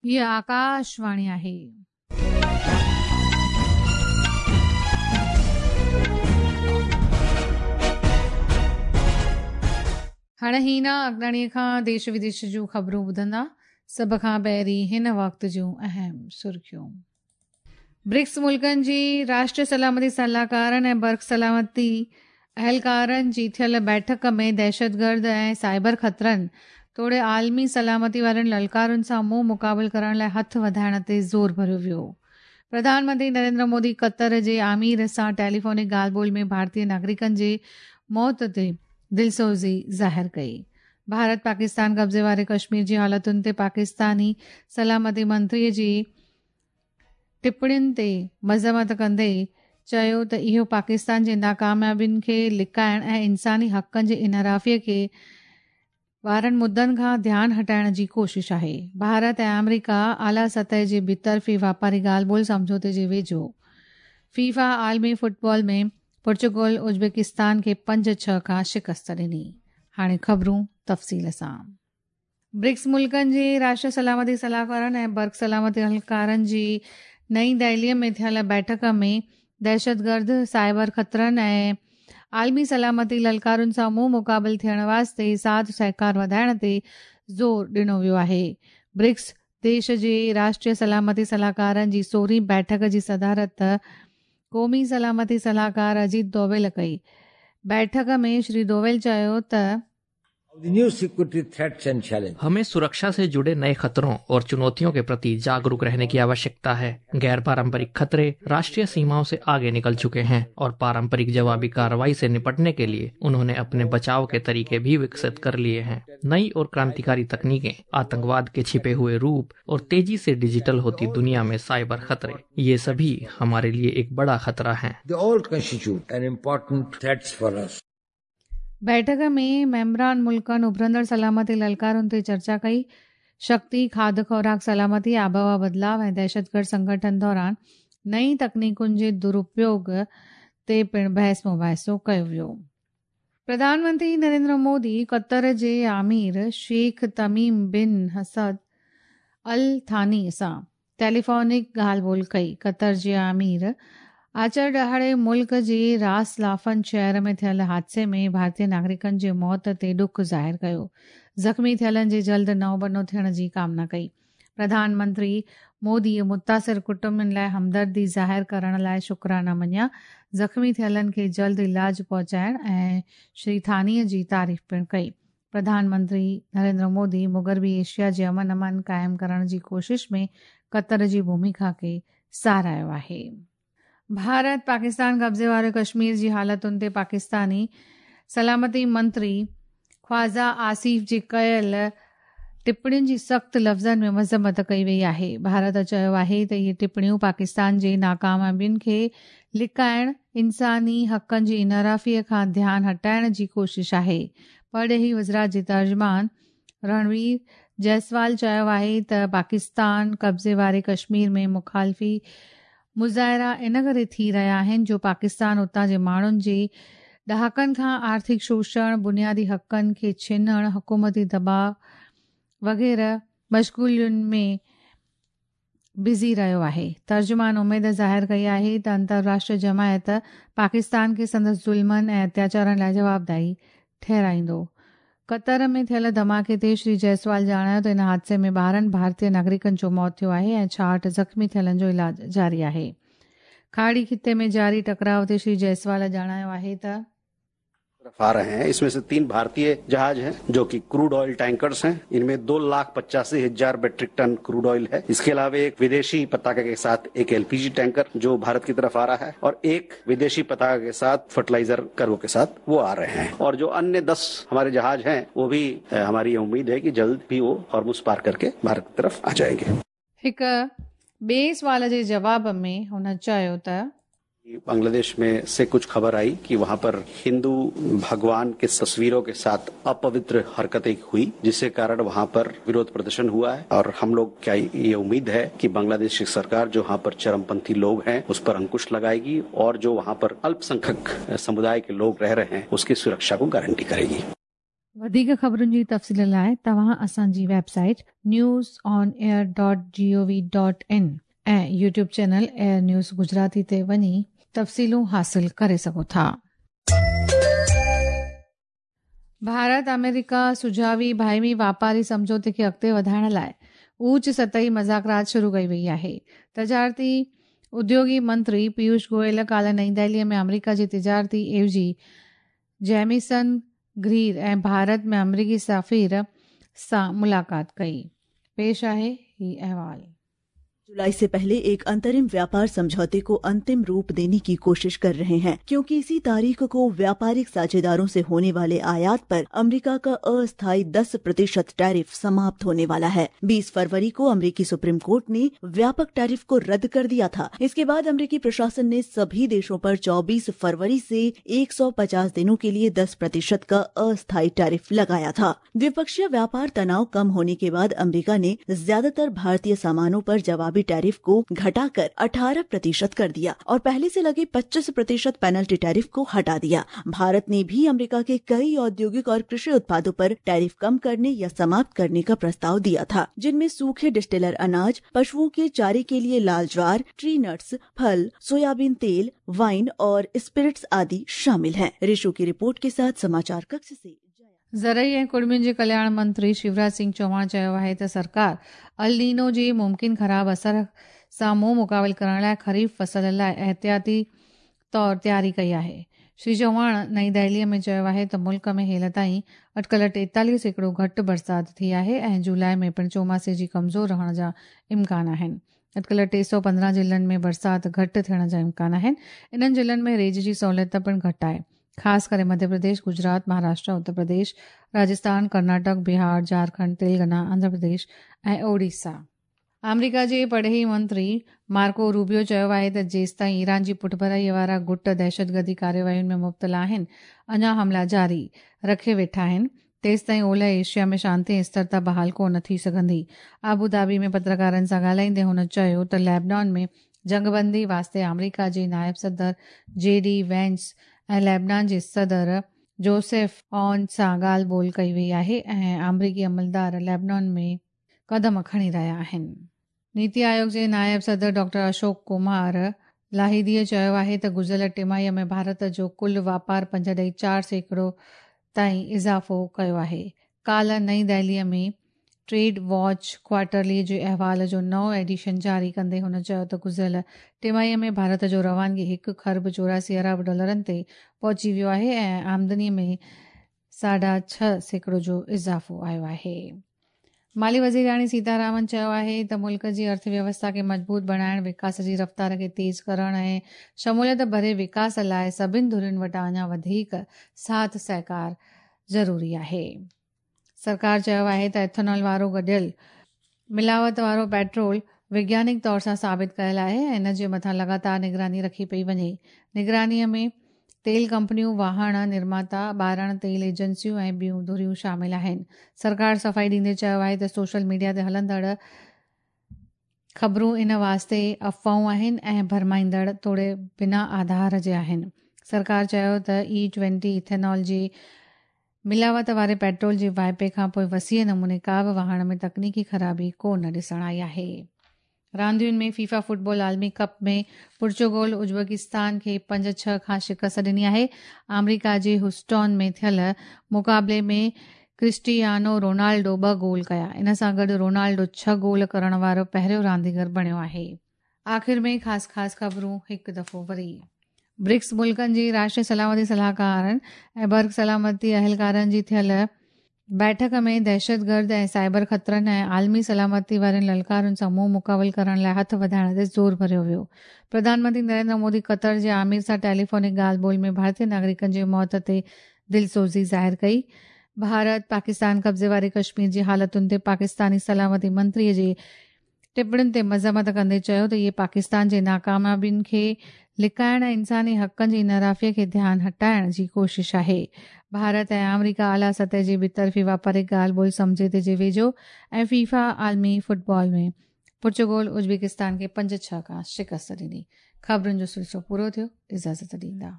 हीअ आकाशवाणी आहे। हाणे हीना अगनाणीअ खां देश विदेश जूं ख़बरूं ॿुधंदा। सभ खां पहिरीं हिन वक़्त जूं अहम सुर्खियूं। ब्रिक्स मुल्कनि जी राष्ट्रीय सलामती सलाहकारनि ऐं बर्क सलामती अहलकारनि जी थियल बैठक में दहशतगर्द ऐं साइबर ख़तरनि तोड़े आलमी सलामती वारनि ललकारुनि सां मुंहुं मुक़ाबिल करण लाइ हथु वधाइण ते ज़ोर भरियो वियो। प्रधानमंत्री नरेंद्र मोदी क़तर जे आमिर सां टेलीफोनिक ॻाल्हि ॿोल में भारतीय नागरिकनि जे मौत ते दिलसोज़ी ज़ाहिर कई। भारत पाकिस्तान कब्ज़े वारे कश्मीर जी हालतुनि ते पाकिस्तानी सलामती मंत्रीअ जी टिप्पणियुनि ते मज़म्मत कंदे चयो त इहो पाकिस्तान जे नाकामयाबियुनि खे लिकाइण ऐं इंसानी हक़नि जे इनहराफ़ीअ खे वारनि मुद्दनि खां ध्यानु हटाइण जी कोशिश आहे। भारत ऐं आमेरिका आला सतह जे ॿितरफ़ी वापारी ॻाल्हि ॿोल सम्झौते जे वेझो। फीफा आलमी फुटबॉल में पोर्चुगल उज़्बेकिस्तान खे 5-6 खां शिकस्त ॾिनी। हाणे ख़बरूं तफ़सील सां। ब्रिक्स मुल्कनि जे राष्ट्रीय सलामती सलाहकारनि ऐं बर्क सलामती अहलकारनि जी नई दिल्लीअ में थियल बैठक में दहशतगर्द, साइबर ख़तरनि ऐं आलमी सलामती ललकारुनि सां मुंहुं मुक़ाबिल थियण वास्ते साथ सहकार वधाइण ते ज़ोर ॾिनो वियो आहे। ब्रिक्स देश जे राष्ट्रीय सलामती सलाहकारनि जी 16वीं बैठक जी सदारत क़ौमी सलामती सलाहकार अजीत दोवेल कई। बैठक में श्री दोवेल चयो त हमें सुरक्षा से जुड़े नए खतरों और चुनौतियों के प्रति जागरूक रहने की आवश्यकता है। गैर पारंपरिक खतरे राष्ट्रीय सीमाओं से आगे निकल चुके हैं और पारंपरिक जवाबी कार्रवाई से निपटने के लिए उन्होंने अपने बचाव के तरीके भी विकसित कर लिए हैं। नई और क्रांतिकारी तकनीकें, आतंकवाद के छिपे हुए रूप और तेजी से डिजिटल होती दुनिया में साइबर खतरे, ये सभी हमारे लिए एक बड़ा खतरा है। बैठक में मेंबरान मुल्कनि उभरंदड़ सलामती ललकारुनि ते चर्चा कई। शक्ति, खाध खुराक सलामती, आबहवा बदिलाव ऐं दहशतगर्द संगठन दौरान नई तकनीकुनि जे दुरुपयोग ते पिणु बहस मुबाहिसो कयो वियो। प्रधानमंत्री नरेंद्र मोदी क़तर जे आमिर शेख तमीम बिन हसद अल थानी सां टेलीफोनिक ॻाल्हि ॿोल कई। क़तर जे आमिर आचर ॾिहाड़े मुल्क जे रास लाफन शहर में थियल हादसे में भारतीय नागरिकनि जे मौत ते ॾुख ज़ाहिर कयो। ज़ख़्मी थियलनि जे जल्द नओं बनो थियण जी कामना कई। प्रधानमंत्री मोदी मुतासिर कुटुंबनि लाइ हमदर्दी ज़ाहिर करण लाइ शुक्राना मञिया। ज़ख़्मी थियलनि खे जल्द इलाज पहुचाइण ऐं श्री थानीअ जी तारीफ़ पिणु कई। प्रधानमंत्री नरेंद्र मोदी मुग़रबी एशिया जे अमन अमान क़ाइमु करण जी कोशिश में क़तर जी भूमिका खे सराहियो आहे। भारत पाकिस्तान कब्ज़े वारे कश्मीर जी हालतुनि ते पाकिस्तानी सलामती मंत्री ख्वाजा आसिफ जी कयल टिप्पणियुनि जी सख़्तु लफ़्ज़नि में मज़म्मत कई वई आहे। भारत चयो आहे त इहे टिप्पणियूं पाकिस्तान जे नाकामयाबियुनि खे लिकाइण, इंसानी हक़नि जी इनहराफ़ीअ खां ध्यानु हटाइण जी कोशिश आहे। परॾेही वज़ारत जे तर्जुमान रणवीर जायसवाल चयो आहे त पाकिस्तान कब्ज़े वारे कश्मीर में मुखालिफ़ी मुज़ाहिरा इन करे थी रहिया आहिनि जो पाकिस्तान उतां जे माण्हुनि जे ॾहाकनि खां आर्थिक शोषण, बुनियादी हक़नि खे छिनण, हुकूमती दबाव वग़ैरह मशग़ूलियुनि में बिज़ी रहियो आहे। तर्जुमान उमेद ज़ाहिर कई आहे त अंतर्राष्ट्रीय जमायत पाकिस्तान खे संदसि ज़ुल्मनि ऐं अत्याचारनि लाइ जवाबदारी ठहिराईंदो। क़तर में थियल धमाके ते श्री जायसवाल ॼाणायो त इन हादसे में 12 भारतीय नागरिकनि जो मौत थियो आहे ऐं 66 ज़ख़्मी थियलनि जो इलाज जारी आहे। खाड़ी ख़िते में जारी टकराव ते श्री जायसवाल ॼाणायो आहे त आ रहे हैं। इसमें से 3 भारतीय जहाज हैं जो कि क्रूड ऑयल टैंकर्स हैं। इनमें 2,85,000 मेट्रिक टन क्रूड ऑयल है। इसके अलावा एक विदेशी पताका के साथ एक एलपीजी टैंकर जो भारत की तरफ आ रहा है और एक विदेशी पताका के साथ फर्टिलाइजर कार्गो के साथ वो आ रहे हैं। और जो अन्य 10 हमारे जहाज हैं वो भी हमारी उम्मीद है कि जल्द भी वो हॉर्मुज़ पार करके भारत की तरफ आ जाएंगे। हिक ॿिए सवाल जे जवाब में हुन चयो त बांग्लादेश में से कुछ खबर आई कि वहां पर हिंदू भगवान के तस्वीरों के साथ अपवित्र हरकतें हुई, जिसके कारण वहां पर विरोध प्रदर्शन हुआ है। और हम लोग क्या ये उम्मीद है कि बांग्लादेश की सरकार जो वहां पर चरमपंथी लोग हैं उस पर अंकुश लगाएगी और जो वहां पर अल्पसंख्यक समुदाय के लोग रह रहे हैं उसकी सुरक्षा को गारंटी करेगी। وڌيڪ خبرن جي تفصيل لاء توهان اسان جي website news on air dot G O V dot in ۽ YouTube channel air news Gujarati تي وڃي تفصيلون حاصل ڪري سگهو ٿا. ڀارت آمريڪا سجاوي باهمي واپاري سمجهوتي کي اڳتي وڌائڻ لاء اوچ سطحي مذاڪرات شروع ڪئي وئي آهي. تجارتي اديوگي منتري پيوش گوئل ڪالهه نئين دهلي ۾ آمريڪا جي تجارتي عيوضي جيميسن گرير ۽ ڀارت ۾ آمريڪي سفير سان ملاقات ڪئي. پيش آهي هي احوال. जुलाई से पहले एक अंतरिम व्यापार समझौते को अंतिम रूप देने की कोशिश कर रहे हैं, क्योंकि इसी तारीख को व्यापारिक साझेदारों से होने वाले आयात पर अमेरिका का अस्थायी 10% टैरिफ समाप्त होने वाला है। 20 फरवरी को अमेरिकी सुप्रीम कोर्ट ने व्यापक टैरिफ को रद्द कर दिया था। इसके बाद अमेरिकी प्रशासन ने सभी देशों पर 24 फरवरी से 150 दिनों के लिए 10% का अस्थायी टैरिफ लगाया था। द्विपक्षीय व्यापार तनाव कम होने के बाद अमेरिका ने ज्यादातर भारतीय सामानों पर जवाबी टैरिफ को घटाकर 18% कर दिया और पहले से लगे 25% पेनल्टी टैरिफ को हटा दिया। भारत ने भी अमेरिका के कई औद्योगिक और कृषि उत्पादों पर टैरिफ कम करने या समाप्त करने का प्रस्ताव दिया था, जिनमें सूखे डिस्टिलर अनाज, पशुओं के चारे के लिए लाल ज्वार, ट्री नट्स, फल, सोयाबीन तेल, वाइन और स्पिरिट्स आदि शामिल हैं। ऋषु की रिपोर्ट के साथ समाचार कक्ष से। ज़रई ऐं कुड़मियुनि जे कल्याण मंत्री शिवराज सिंह चौहान चयो आहे त सरकार अल नीनो जे मुमकिन ख़राब असर सां मुंहुं मुक़ाबिल करण लाइ ख़रीफ़ फसल लाइ एहतियाती तौर तयारी कई आहे। श्री चौहान नई दहलीअ में चयो आहे त मुल्क में हेल ताईं अटकल 43% घटि बरसाति थी आहे ऐं जुलाई में पिणु चौमासे जी कमज़ोर रहण जा इम्कान आहिनि। अटकल 315 ज़िलनि में बरसाति घटि थियण जा इम्कान आहिनि। इन्हनि ज़िलनि में रेज जी सहूलियत पिणु घटि आहे, ख़ासि करे मध्य प्रदेश, गुजरात, महाराष्ट्र, उत्तर प्रदेश, राजस्थान, कर्नाटक, बिहार, झारखंड, तेलंगाना, आंध्र प्रदेश ऐं ओडिशा। आमेरिका जे परॾेही मंत्री मार्को रूबियो चयो आहे त जेसिताईं ईरान जी पुठभराईअ वारा गुट दहशतगर्दी कार्यवाहियुनि में मुब्तला आहिनि, अञा हमला जारी रखे वेठा आहिनि, तेसिताईं ओलह एशिया में शांति ऐं स्थिरता बहाल कोन थी सघंदी। आबू धाबी में पत्रकारनि सां ॻाल्हाईंदे हुन चयो त लेबनान में जंगबंदी वास्ते आमेरिका जे नायब सदर जे डी वेंस ऐं लेबनान जे सदर जोसेफ ऑन सां ॻाल्हि ॿोल कई वई आहे ऐं आमेरिकी अमलदार लेबनान में कदम खणी रहिया आहिनि। नीति आयोग जे नायब सदर डॉक्टर अशोक कुमार लाहिदीअ चयो आहे त गुज़िरियल टिमाहीअ में भारत जो कुल वापार 5.4% ताईं इज़ाफ़ो कयो आहे। काल्ह नई दिल्लीअ में ट्रेड वॉच क्वार्टरली जे अहवाल जो नओं एडिशन जारी कंदे हुन चयो त गुज़िरियल टिमाहीअ में भारत जो रवानगी 1 खरब 84 अरब डॉलरनि ते पहुची वियो आहे ऐं आमदनीअ में 6.5% जो इज़ाफ़ो आयो आहे। माली वज़ीराणी सीतारामन चयो आहे त मुल्क जी अर्थव्यवस्था खे मज़बूत बणाइण, विकास जी रफ़्तार खे तेज़ करण ऐं शमूलियत भरे विकास लाइ सभिनि धुरियुनि वटां अञा वधीक साथ सहकार ज़रूरी आहे। सरकार चयो आहे त एथेनॉल वारो गॾियल मिलावट वारो पेट्रोल वैज्ञानिक तौर सां साबित कयल आहे ऐं इन जे मथां लगातार निगरानी रखी पई वञे। निगरानीअ में तेल कंपनियूं, वाहन निर्माता, ॿारण तेल एजेंसियूं ऐं ॿियूं धुरियूं शामिल आहिनि। सरकार सफ़ाई ॾींदे चयो आहे त सोशल मीडिया ते हलंदड़ ख़बरूं इन वास्ते अफ़वाहूं आहिनि ऐं भरमाईंदड़ तोड़े बिना आधार जे आहिनि। सरकार चयो त E20 ethanol जी मिलावट वारे पेट्रोल जे वाहिपे खां पोइ वसीअ नमूने का बि वाहन में तकनीकी ख़राबी कोन ॾिसण आई आहे। रांदियुनि में फीफा फुटबॉल आलमी कप में पुर्तगाल उज़्बेकिस्तान खे 5-6 खां शिकस्त ॾिनी आहे। आमेरिका जे ह्यूस्टन में थियल मुक़ाबले में क्रिस्टियानो रोनाल्डो 2 गोल कया। इन सां गॾु रोनाल्डो 6 गोल करण वारो पहिरियों रांदीगर बणियो आहे। आख़िर में ख़ासि ख़ासि ख़बरूं हिकु दफ़ो वरी। ब्रिक्स मुल्कनि जी राष्ट्रीय सलामती सलाहकारनि ऐं बर्ग सलामती अहलकारनि जी थियल बैठक में दहशतगर्द ऐं साइबर ख़तरनि ऐं आलमी सलामती वारनि ललकारनि सां मुंहुं मुक़ाबिल करण लाइ हथु वधाइण ते ज़ोर भरियो वियो। प्रधानमंत्री नरेंद्र मोदी क़तर जे आमिर सां टेलीफोनिक ॻाल्हि ॿोल में भारतीय नागरिकनि जी मौत ते दिलसोज़ी ज़ाहिर कई। भारत पाकिस्तान कब्ज़े वारे कश्मीर जी हालतुनि ते पाकिस्तानी सलामती मंत्रीअ जे टिप्पणियुनि ते मज़म्मत कंदे चयो त इहे पाकिस्तान जे नाकामयाबियुनि खे लिकाइण ऐं इंसानी हक़नि जी इनराफ़ीअ खे ध्यानु हटाइण जी कोशिश आहे। भारत ऐं आमेरिका आला सतह जी ॿितरफ़ी वापारिक ॻाल्हि ॿोल सम्झौते जे वेझो ऐं फीफा आलमी फुटबॉल में पुर्तगाल उज़्बेकिस्तान खे 5-6 खां शिकस्त ॾिनी। ख़बरुनि जो सिलसिलो पूरो थियो। इजाज़त ॾींदा।